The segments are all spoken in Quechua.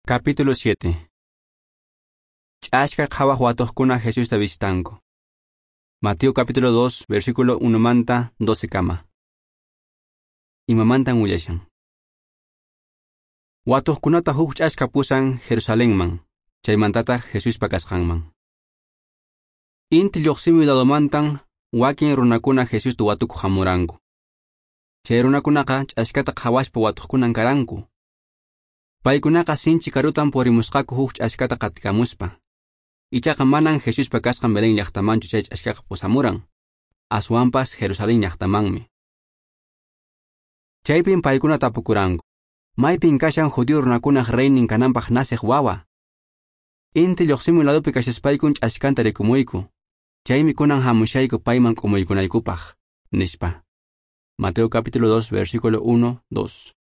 Capítulo 7. Ch'aska qhawaq watuqkuna Jesusta visitanku. Mateo capítulo 2, versículo 1 manta 12 kama. Imamantan willashan. Watuqkunata huk ch'aska pusan Jerusalenman, chaymantataq Jesuspa kasqanman. Inti lluqsimuy ladomantan wakin runakuna Jesusta watukuq hamuranku. Chay runakunaqa ch'askata qhawaspa watuqkunan karanku. Paykunaqa sinchi karutan purimusqaku huk ch'askata qatikamuspa. Ichaqa manan Jesuspa kasqan Belén llaqtamanchu chay ch'askaqa pusamuran, aswanpas Jerusalén llaqtamanmi. Chaypin paykuna tapukuranku, maypin kashan judío runakunaq reynin kananpaq naciq wawa. Inti lluqsimuy ladopi kashaspaykun ch'askanta rikumuyku, chaymi kunan hamushayku payman k'umuykunaykupaq, nispa. Mateo capítulo 2, versículo 1, 2.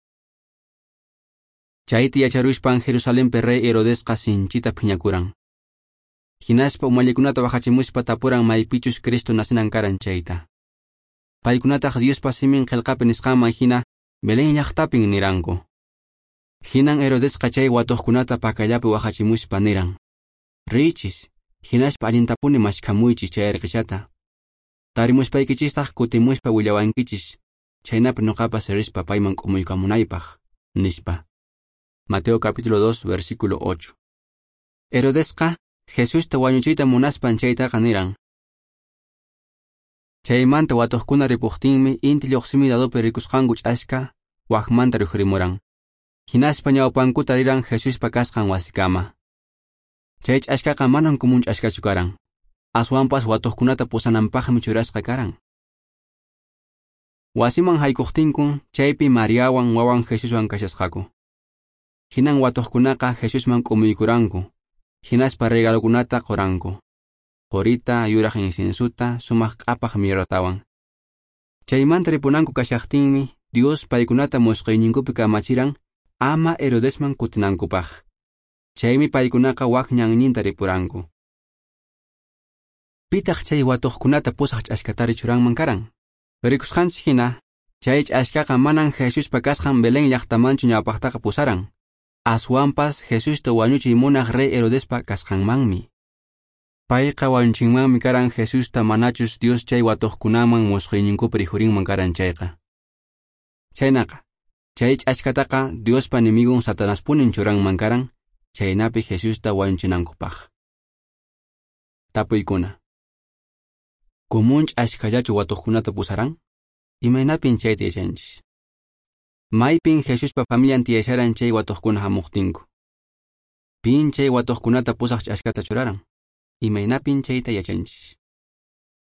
Chayta yacharuspan Jerusalenpi rey Herodesqa sinchita phiñakuran. Hinaspa umallikunata wahachimuspa tapuran maypichus Cristo nacinan karan chayta. Paykunataq Diospa simin qillqapi nisqanman hina Belén llaqtapin niranku. Hinan Herodesqa chay watuqkunata pakallapi wahachimuspa niran: Riychis, hinaspa allintapuni mashkhamuychis chay erqishata. Tarimuspaykichistaq kutimuspa willawankichis, chaynapi nuqapas rispa payman k'umuykamunaypaq, nispa. Mateo capítulo 2, versículo 8. Herodesqa Jesusta wañuchiyta munaspan chaytaqa niran. Chaymanta watuqkuna ripuqtinmi inti lluqsimuy ladopi rikusqanku ch'aska wakmanta rikhurimuran. Hinaspa ñawpankuta riran Jesuspa kasqan wasikama. Chay ch'askaqa manan kumun ch'askachu karan. Aswanpas watuqkunata pusananpaqmi churasqa karan. Wasiman haykuqtinkun chaypi Mariawan wawan Jesuswan kashasqaku. Hinan watuqkunaqa Jesusman k'umuykuranku, hinaspa regalokunata quranku. Qurita, yuraq inciensuta, sumaq q'apaq mirratawan. Chaymanta ripunanku kashaqtinmi Dios paykunata musqhuyninkupi kamachiran ama Herodesman kutinankupaq. Chaymi paykunaqa wak ñanninta ripuranku. Pitaq chay watuqkunata pusaq ch'askatari churanman karan. Rikusqanchik hina, chay ch'askaqa manan Jesuspa kasqan Belén llaqtamanchu ñawpaqtaqa pusaran. Aswanpas Jesusta wañuchiy munaq rey Herodespa kasqanmanmi. Payqa wañuchinmanmi karan Jesusta manachus Dios chay watuqkunaman musqhuyninkupi rikhurinman karan chayqa. Chaynaqa, chay ch'askataqa Diospa enemigon Satanaspunin churanman karan, chaynapi Jesusta wañuchinankupaq. Tapuykuna. Kumun ch'askallachu watuqkunata pusaran? Imaynapin chayta yachanchis? Maypin Jesuspa familian tiyasharan chay watuqkuna hamuqtinku. Pin chay watuqkunata pusaq ch'askata churaran? Imaynapin chayta yachanchis?